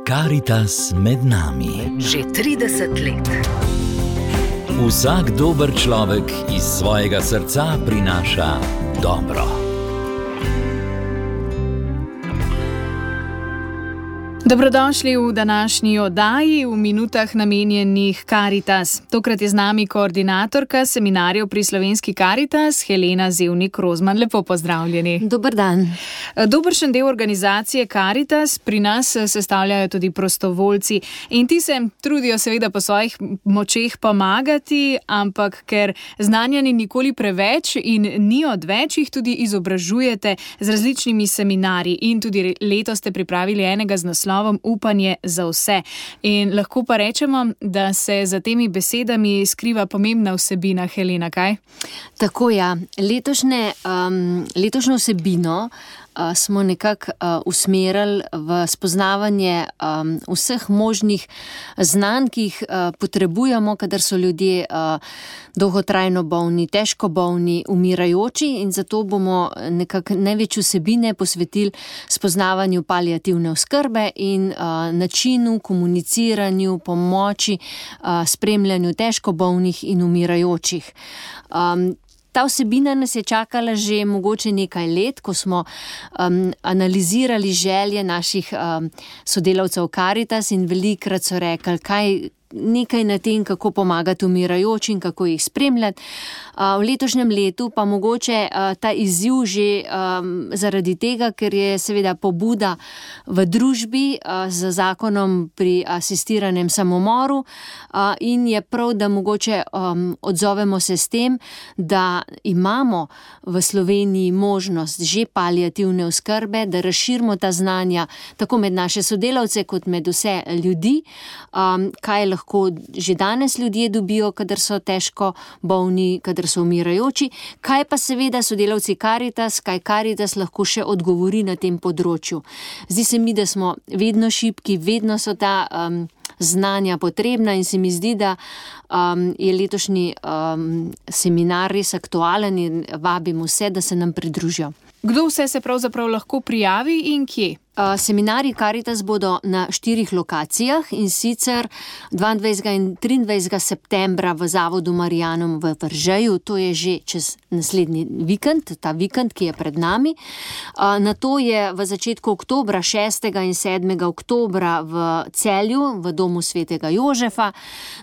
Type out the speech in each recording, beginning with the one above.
Karitas med nami. Že 30 let. Vsak dober človek iz svojega srca prinaša dobro. Dobrodošli v današnji oddaji v minutah namenjenih Karitas. Tokrat je z nami koordinatorka seminarjev pri Slovenski Karitas, Helena Zevnik-Rozman. Lepo pozdravljeni. Dober dan. Dobršen del organizacije Karitas pri nas sestavljajo tudi prostovoljci in ti se trudijo seveda po svojih močeh pomagati, ampak ker znanja ni nikoli preveč in ni odveč, jih tudi izobražujete z različnimi seminarji in tudi letos ste pripravili enega z naslovom Upanje za vse. In lahko pa rečemo, da se za temi besedami skriva pomembna vsebina, Helena, kaj? Tako ja, letošnjo vsebino smo nekako usmerili v spoznavanje vseh možnih znanj, ki jih potrebujemo, kadar so ljudje dolgotrajno bolni, težko bolni, umirajoči, in zato bomo nekako največ vsebine posvetili spoznavanju paliativne oskrbe in načinu, komuniciranju, pomoči, spremljanju težko bolnih in umirajočih. Ta vsebina nas je čakala že mogoče nekaj let, ko smo analizirali želje naših sodelavcev Karitas in velikokrat so rekli, nekaj na tem, kako pomagati umirajočim, kako jih spremljati. V letošnjem letu pa mogoče ta izziv že zaradi tega, ker je seveda pobuda v družbi z zakonom pri asistiranem samomoru in je prav, da mogoče odzovemo se s tem, da imamo v Sloveniji možnost že paliativne oskrbe, da razširimo ta znanja tako med naše sodelavce kot med vse ljudi, kaj lahko že danes ljudje dobijo, kadar so težko bolni, kadar so umirajoči, kaj pa seveda sodelavci Karitas, kaj Karitas lahko še odgovori na tem področju. Zdi se mi, da smo vedno šibki, vedno so ta znanja potrebna in se mi zdi, da je letošnji seminar res aktualen in vabim vse, da se nam pridružijo. Kdo vse se pravzaprav lahko prijavi in kje? Seminarji Karitas bodo na 4 lokacijah, in sicer 22. in 23. septembra v Zavodu Marijanum v Veržeju, to je že čez naslednji vikend, ta vikend, ki je pred nami. Nato je v začetku oktobra, 6. in 7. oktobra v Celju, v Domu svetega Jožefa.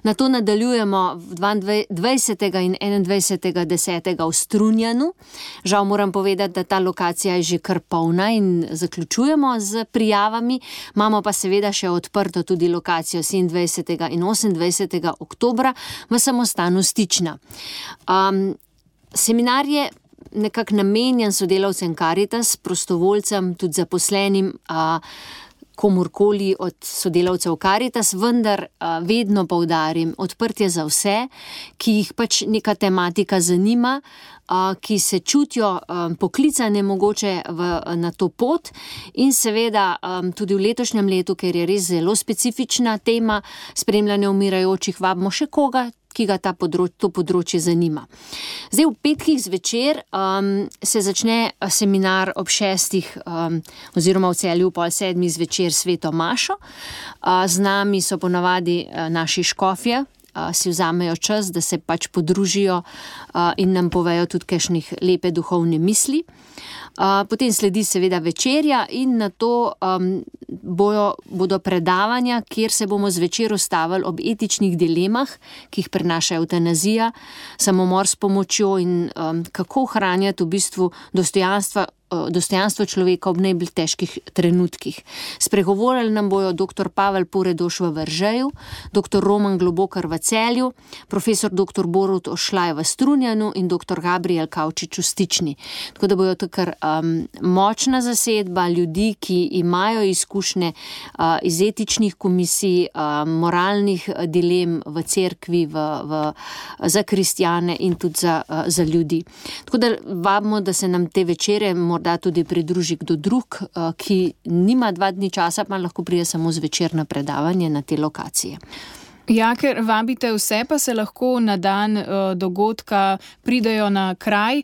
Nato nadaljujemo 20. in 21. 10. v Strunjanu. Žal moram povedati, da ta lokacija je že kar polna in zaključujemo z prijavami. Imamo pa seveda še odprto tudi lokacijo 27. in 28. oktobra v samostanu Stična. Seminar je nekako namenjen sodelavcem Karitas, prostovoljcem, tudi zaposlenim, komorkoli od sodelavcev Karitas, vendar vedno poudarim, odprtje za vse, ki jih pač neka tematika zanima, ki se čutijo poklicane mogoče na to pot, in seveda tudi v letošnjem letu, ker je res zelo specifična tema spremljanja umirajočih, vabimo še koga, ki ga to področje zanima. Zdaj v petkih zvečer se začne seminar ob 6. oziroma v Celju pol 7. zvečer sveto mašo. Z nami so ponavadi naši škofje, si vzamejo čas, da se pač podružijo in nam povejo tudi kakšnih lepe duhovne misli. Potem sledi seveda večerja in nato bodo predavanja, kjer se bomo zvečer ustavili ob etičnih dilemah, ki jih prinaša evtanazija, samomor s pomočjo in kako ohranjati v bistvu dostojanstvo človeka ob najbolj težkih trenutkih. Spregovorili nam bojo dr. Pavel Poredoš v Veržeju, dr. Roman Globokar v Celju, profesor dr. Borut Ošlaj v Strunjanu in dr. Gabriel Kavčič v Stični. Tako da bojo tukaj močna zasedba ljudi, ki imajo izkušnje iz etičnih komisij, moralnih dilem v cerkvi, za kristjane in tudi za ljudi. Tako da vabimo, da se nam te večere morda tudi pridruži kdo drug, ki nima 2 dni časa, pa lahko pride samo zvečer na predavanje na te lokacije. Ja, ker vabite vse, pa se lahko na dan dogodka pridejo na kraj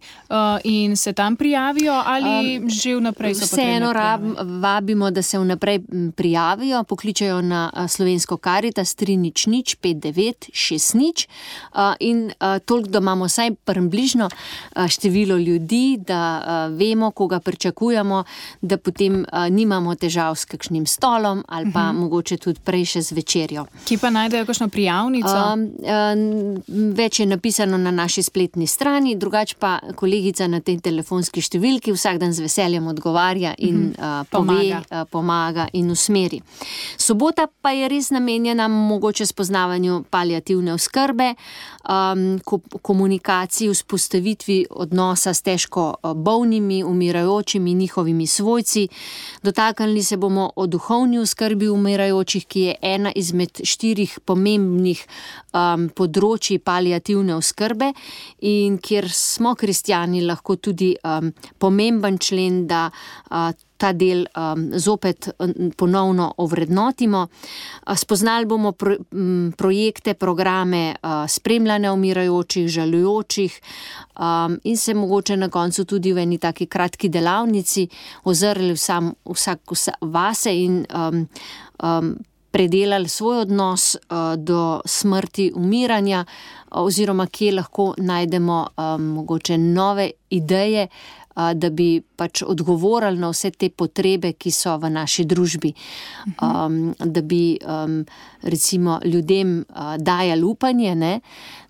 in se tam prijavijo ali že vnaprej so potrebne prijave? Vseeno vabimo, da se vnaprej prijavijo, pokličejo na slovensko Karitas 300 59 60 in toliko, da imamo vsaj približno število ljudi, da vemo, koga pričakujemo, da potem nimamo težav s kakšnim stolom ali pa mogoče tudi prej še z večerjo. Ki pa najdejo kakšno prijavnico? Več je napisano na naši spletni strani, drugače pa kolegica na tej telefonski številki vsak dan z veseljem odgovarja in pomaga in usmeri. Sobota pa je res namenjena mogoče spoznavanju paliativne oskrbe, komunikaciji, vzpostavitvi odnosa s težko bolnimi, umirajočimi, njihovimi svojci. Dotaknili se bomo o duhovni oskrbi umirajočih, ki je ena izmed 4 pomembnih področji paliativne oskrbe in kjer smo kristjani lahko tudi pomemben člen, da ta del zopet ponovno ovrednotimo. Spoznali bomo projekte, programe spremljanja umirajočih, žalujočih in se mogoče na koncu tudi v eni taki kratki delavnici ozrli vsak vase in predelali svoj odnos do smrti, umiranja oziroma kje lahko najdemo mogoče nove ideje, da bi pač odgovorili na vse te potrebe, ki so v naši družbi. Da bi recimo ljudem dajali upanje, ne?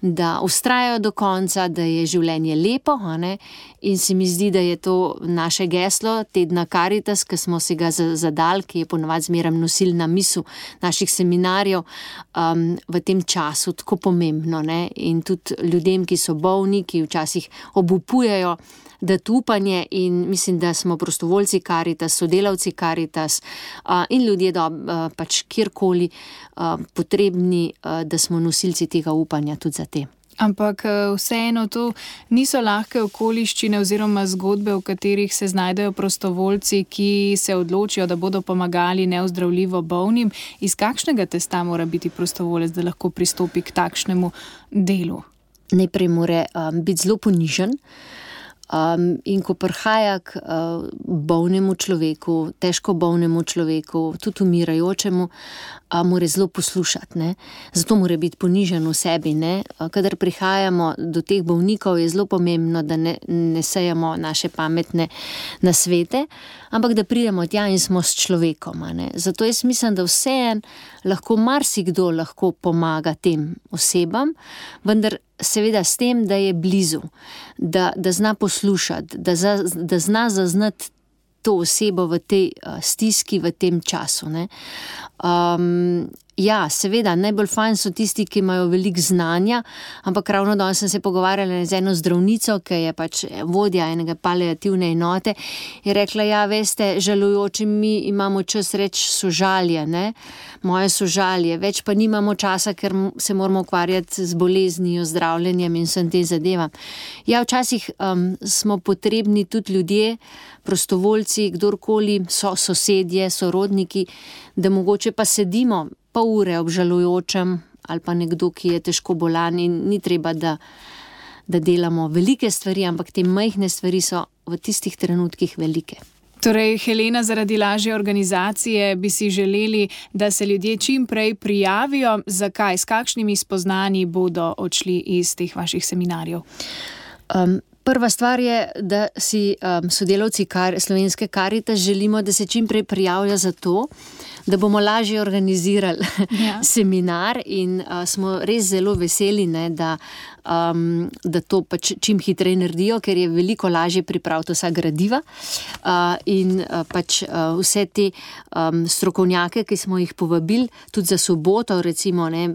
Da vztrajajo do konca, da je življenje lepo, ne? In se mi zdi, da je to naše geslo tedna Karitas, ki smo si ga zadali, ki je ponavadi zmeraj nosilna misel naših seminarjev, v tem času tako pomembno, ne? In tudi ljudem, ki so bolni, ki včasih obupujejo, dati upanje in mislim, da smo prostovoljci Karitas, sodelavci Karitas in ljudje pač kjerkoli potrebni, da smo nosilci tega upanja tudi za te. Ampak vseeno to niso lahke okoliščine oziroma zgodbe, v katerih se znajdejo prostovoljci, ki se odločijo, da bodo pomagali neozdravljivo bolnim. Iz kakšnega testa mora biti prostovoljec, da lahko pristopi k takšnemu delu? Najprej mora biti zelo ponižen. In ko prihaja k bolnemu človeku, težko bolnemu človeku, tudi umirajočemu, mora zelo poslušati, ne? Zato mora biti ponižen v sebi, ne? Kadar prihajamo do teh bolnikov, je zelo pomembno, da ne sejamo naše pametne nasvete, ampak da pridemo tja in smo s človekom, ne? Zato jaz mislim, da vseeno lahko marsikdo lahko pomaga tem osebam, vendar seveda s tem, da je blizu, da zna poslušati, da zna zaznati to osebo v tej stiski, v tem času, ne. Ja, seveda, najbolj fajn so tisti, ki imajo veliko znanja, ampak ravno danes sem se pogovarjala z eno zdravnico, ki je pač vodja enega paliativne enote, je rekla, ja, veste, žalujoči mi imamo čas reči sožalje, ne, moje sožalje, več pa nimamo časa, ker se moramo ukvarjati z boleznijo, zdravljenjem in vsem tem zadevam. Ja, včasih smo potrebni tudi ljudje, prostovoljci, kdorkoli, sosedje, sorodniki, da mogoče pa sedimo pol ure ob žalujočem ali pa nekdo, ki je težko bolan in ni treba, da delamo velike stvari, ampak te majhne stvari so v tistih trenutkih velike. Torej, Helena, zaradi lažje organizacije bi si želeli, da se ljudje čim prej prijavijo. Zakaj? S kakšnimi spoznanji bodo odšli iz teh vaših seminarjev? Prva stvar je, da si sodelavci slovenske Karitas želimo, da se čim prej prijavijo za to, da bomo lažje organizirali seminar in smo res zelo veseli, ne, da to pač čim hitreje naredijo, ker je veliko lažje pripraviti vsa gradiva in pač vse te strokovnjake, ki smo jih povabili, tudi za soboto, recimo, ne,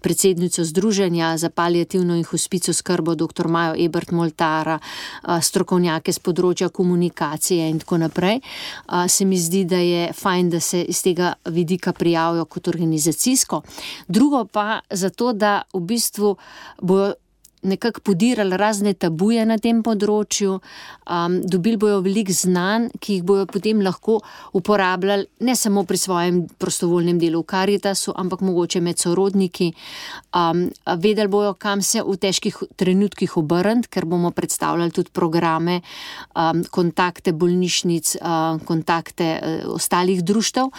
predsednico Združenja za paliativno in hospic oskrbo dr. Majo Ebert Moltara, strokovnjake z področja komunikacije in tako naprej. Se mi zdi, da je fajn, da se iz tega vidika prijavijo kot organizacijsko. Drugo pa zato, da v bistvu bojo nekako podirali razne tabuje na tem področju, dobili bojo veliko znanj, ki jih bojo potem lahko uporabljali ne samo pri svojem prostovoljnem delu v Karitasu, ampak mogoče med sorodniki. Vedeli bojo, kam se v težkih trenutkih obrniti, ker bomo predstavljali tudi programe, kontakte bolnišnic, kontakte ostalih društev,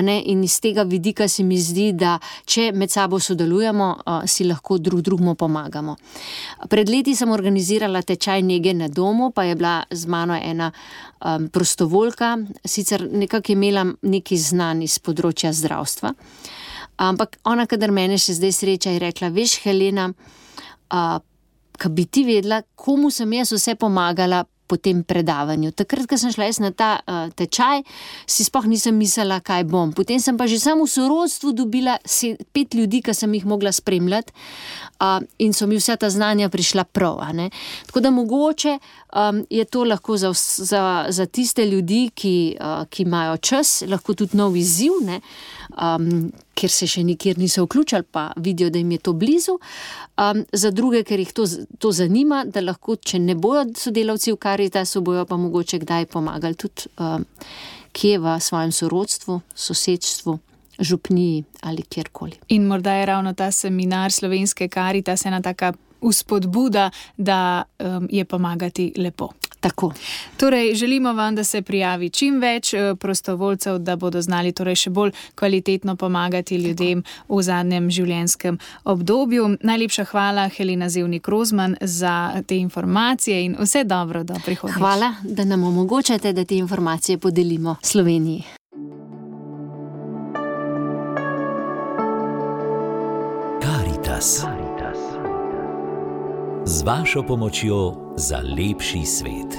in iz tega vidika se mi zdi, da če med sabo sodelujemo, si lahko drugemu pomagamo. Pred leti sem organizirala tečaj nege na domu, pa je bila z mano ena prostovoljka, sicer nekako imela neki znanj iz področja zdravstva, ampak ona, kadar mene še zdaj sreča, je rekla, veš, Helena, ka bi ti vedela, komu sem jaz vse pomagala po tem predavanju. Takrat, ko sem šla jaz na ta tečaj, si sploh nisem mislila, kaj bom. Potem sem pa že samo v sorodstvu dobila 5 ljudi, ki sem jih mogla spremljati, in so mi vsa ta znanja prišla prav. Tako da mogoče je to lahko za tiste ljudi, ki imajo čas, lahko tudi nov izziv, ker se še nikjer niso vključili, pa vidijo, da jim je to blizu. Za druge, ker jih to zanima, da lahko, če ne bojo sodelavci v Karitasu, bojo pa mogoče kdaj pomagali tudi kje v svojem sorodstvu, sosedstvu, župniji ali kjerkoli. In morda je ravno ta seminar Slovenske Karitas ena taka vzpodbuda, da je pomagati lepo. Tako. Torej, želimo vam, da se prijavi čim več prostovoljcev, da bodo znali torej še bolj kvalitetno pomagati ljudem v zadnjem življenjskem obdobju. Najlepša hvala, Helena Zevnik-Rozman, za te informacije in vse dobro do prihodnjič. Hvala, da nam omogočate, da te informacije podelimo Sloveniji. Karitas. Z vašo pomočjo za lepši svet.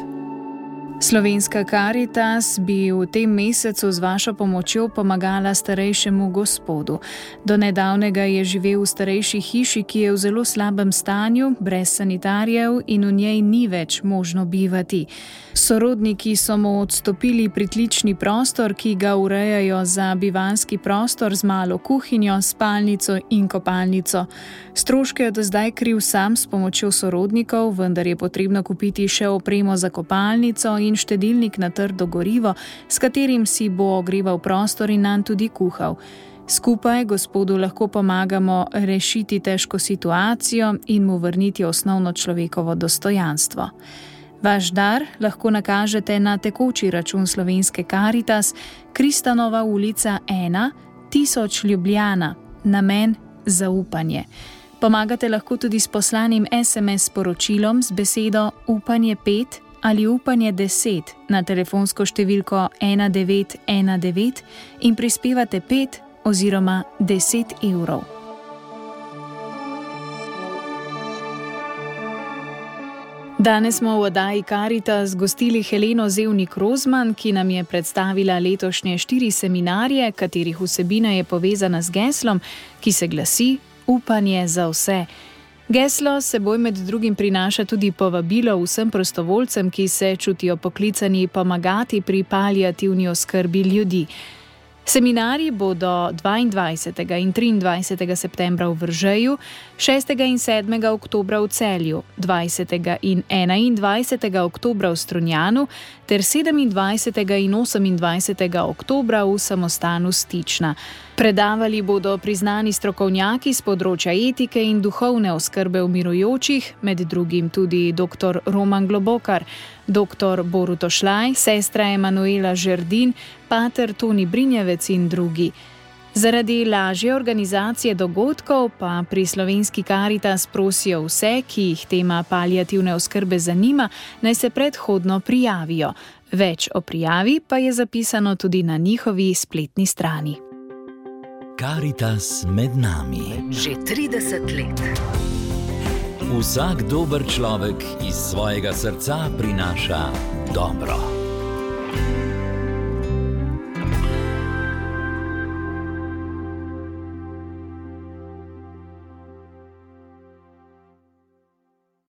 Slovenska Karitas bi v tem mesecu z vašo pomočjo pomagala starejšemu gospodu. Do nedavnega je živel v starejši hiši, ki je v zelo slabem stanju, brez sanitarjev in v njej ni več možno bivati. Sorodniki so mu odstopili pritlični prostor, ki ga urejajo za bivanski prostor z malo kuhinjo, spalnico in kopalnico. Stroške je do zdaj kril sam s pomočjo sorodnikov, vendar je potrebno kupiti še opremo za kopalnico in štedilnik na trdo gorivo, s katerim si bo ogreval prostor in nanj tudi kuhal. Skupaj gospodu lahko pomagamo rešiti težko situacijo in mu vrniti osnovno človekovo dostojanstvo. Vaš dar lahko nakažete na tekoči račun Slovenske Karitas, Kristanova ulica 1, 1000 Ljubljana, namen zaupanje. Pomagate lahko tudi s poslanim SMS sporočilom z besedo Upanje 5 ali Upanje 10 na telefonsko številko 1919 in prispevate 5 oziroma 10 evrov. Danes smo v oddaji Karitas gostili Heleno Zevnik-Rozman, ki nam je predstavila letošnje 4 seminarje, katerih vsebina je povezana z geslom, ki se glasi Upanje za vse. Geslo seboj med drugim prinaša tudi povabilo vsem prostovoljcem, ki se čutijo poklicani pomagati pri paliativni oskrbi ljudi. Seminarji bodo 22. in 23. septembra v Veržeju, 6. in 7. oktobra v Celju, 20. in 21. oktobra v Strunjanu ter 27. in 28. oktobra v samostanu Stična. Predavali bodo priznani strokovnjaki z področja etike in duhovne oskrbe umirujočih, med drugim tudi dr. Roman Globokar, dr. Borut Ošlaj, sestra Emanuela Žerdin, pater Toni Brinjevec in drugi. Zaradi lažje organizacije dogodkov pa pri Slovenski Karitas prosijo vse, ki jih tema paliativne oskrbe zanima, naj se predhodno prijavijo. Več o prijavi pa je zapisano tudi na njihovi spletni strani. Karitas med nami. Že 30 let. Vsak dober človek iz svojega srca prinaša dobro.